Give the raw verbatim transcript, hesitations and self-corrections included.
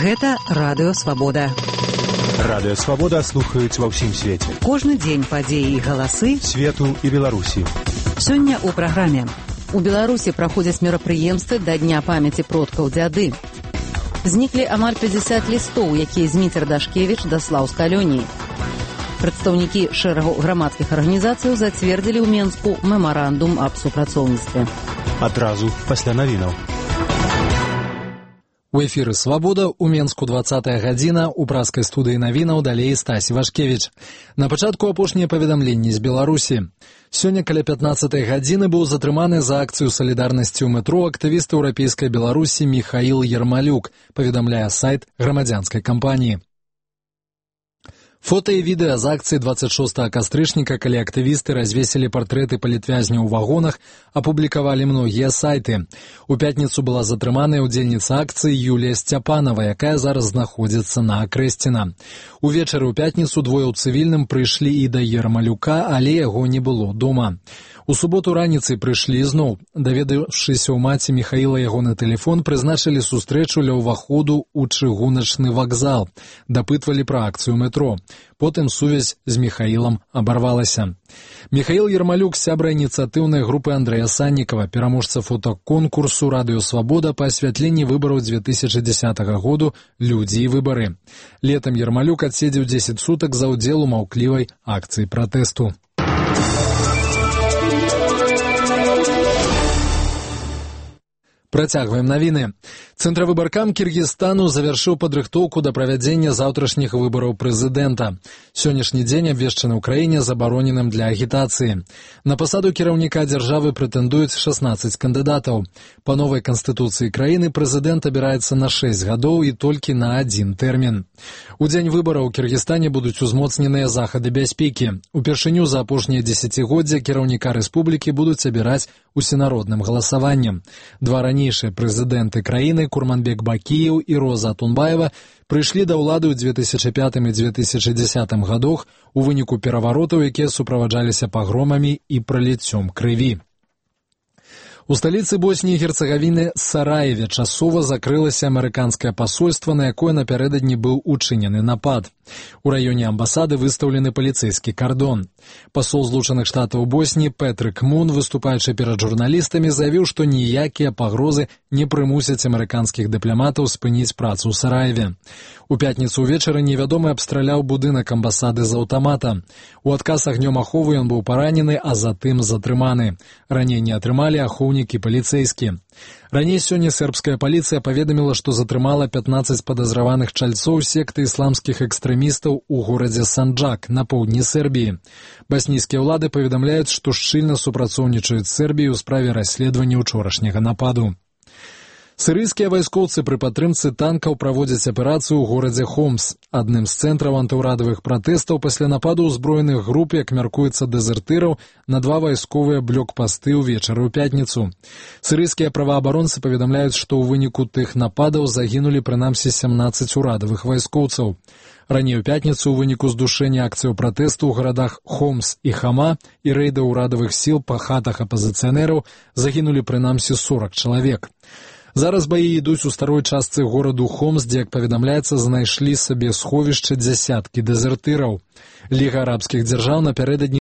Гэта Радыё Свабода. Радыё Свабода слухаюць ва ўсім свеце. Кожны дзень падзеі і галасы свету і Беларусі. Сёння ў праграме. У Беларусі праходзяць мерапрыемствы да Дня памяці продкаў дзяды. Зніклі амаль пятьдесят лістоў, якія Зміцер Дашкевіч даслаў з калоніі. Прадстаўнікі шэрагу грамадскіх арганізацыяў зацвердзілі ў Менску мемарандум аб супрацоўніцтве. Адразу пасля навінаў. У эфіры «Свабода» у Менску двадцатая гадзіна, у праскай студыі навінаў далей Стась Вашкевіч. На пачатку апошнія паведамленні з Беларусі. Сёння каля пятнаццатай гадзіны быў затрыманы за акцыю салідарнасці ў метро актывіст еўрапейскай Беларусі Міхаіл Ермалюк, паведамляе сайт грамадзянскай кампаніі. Фота і відэа з акцыі двадцать шостага кастрычніка, калі актывісты развесілі партрэты палітвязняў у вагонах, апублікавалі многія сайты. У пятніцу была затрыманая ўдзельніца акцыі Юлія Сцяпанова, якая зараз знаходзіцца на Акрэсціна. Увечары ў пятніцу двое ў цывільным прыйшлі і да Ермалюка, але яго не было дома. У суботу раніцай прыйшлі зноў. Даведаўшыся ў маці Міхаіла ягоны тэлефон, прызначылі сустрэчу ля ўваходу ў чыгуначны вакзал. Дапытвалі пра акцыю метро. Потым сувязь з Міхаілам абарвалася. Міхаіл Ермалюк, сябра ініцыятыўнай групы Андрэя Саннікава, пераможца фотаконкурсу «Радыё Свабода» па асвятленні выбараў две тысячи дзесятага году «Людзі і выбары». Летам Ермалюк адседзеў дзесяць сутак за ўдзел у маўклівай акцыі пратэсту. Працягваем навіны. Цэнтравыбаркам Кіргізстану завяршыў падрыхтоўку да правядзення заўтрашніх выбараў прэзідэнта. Сённяшні дзень абвешчаны ў краіне забароненым для агітацыі. На пасаду кіраўніка дзяржавы прэтэндуюць шаснаццаць кандыдатаў. Па новай канстытуцыі краіны прэзідэнт абіраецца на шэсць гадоў і толькі на адзін тэрмін. У дзень выбараў у Кіргізстане будуць узмоцненыя захады бяспекі. Упершыню за апошнія дзесяцігоддзя кіраўніка рэспублікі будуць абіраць усенародным галасаваннем. Два ранейшыя прэзідэнты краіны Курманбек Бакіеў і Роза Атунбаева прыйшлі да ўлады ў две тысячи пятым і две тысячи дзесятым гадах у выніку пераваротаў, якія суправаджаліся пагромамі і праліццём крыві. У сталіцы Босніі і Герцагавіны Сараеве часова закрылася амерыканскае пасольства, на якое напярэдадні быў учынены напад. У раёне амбасады выстаўлены паліцэйскі кардон. Пасол Злучаных Штатаў Босніі Пэтрык Мун, выступаючы перад журналістамі, заявіў, што ніякія пагрозы не прымусяць амерыканскіх дыпламатаў спыніць працу ў Сараеве. У пятніцу ўвечары невядомы абстраляў будынак амбасады з аўтамата. У адказ агнём аховы ён быў паранены, а затым затрыманы. Раненні атрымалі ахоўнікі паліцэйскі. Раней сёння сербская паліцыя паведаміла, што затрымала пятнаццаць падазраваных чальцоў секты ісламскіх экстрэмістаў у горадзе Санджак на поўдні Сербіі. Баснійскія ўлады паведамляюць, што шчыльна супрацоўнічаюць з Сербіяй у справе расследавання ўчорашняга нападу. Сірыйскія вайскоўцы пры падтрымцы танкаў праводзяць аперацыю ў горадзе Хомс. Адным з цэнтраў антыўрадавых пратэстаў пасля нападу ўзброеных груп, як мяркуецца, дэзертыраў на два вайсковыя блокпасты ўвечары ў пятніцу. Сірыйскія праваабаронцы паведамляюць, што ў выніку тых нападаў загінулі прынамсі сямнаццаць урадавых вайскоўцаў. Раней у пятніцу ў выніку здушэння акцыяў пратэсту ў гарадах Хомс і Хама і рэйда ўрадавых сіл па хатах апазіцыянераў загінулі прынамсі сорок чалавек. Зараз баі ідуць у старой частцы гораду Хомс, дзе, як паведамляецца, знайшлі сабе сховішча дзясяткі дэзертыраў. Ліга арабскіх дзяржаў напярэдадні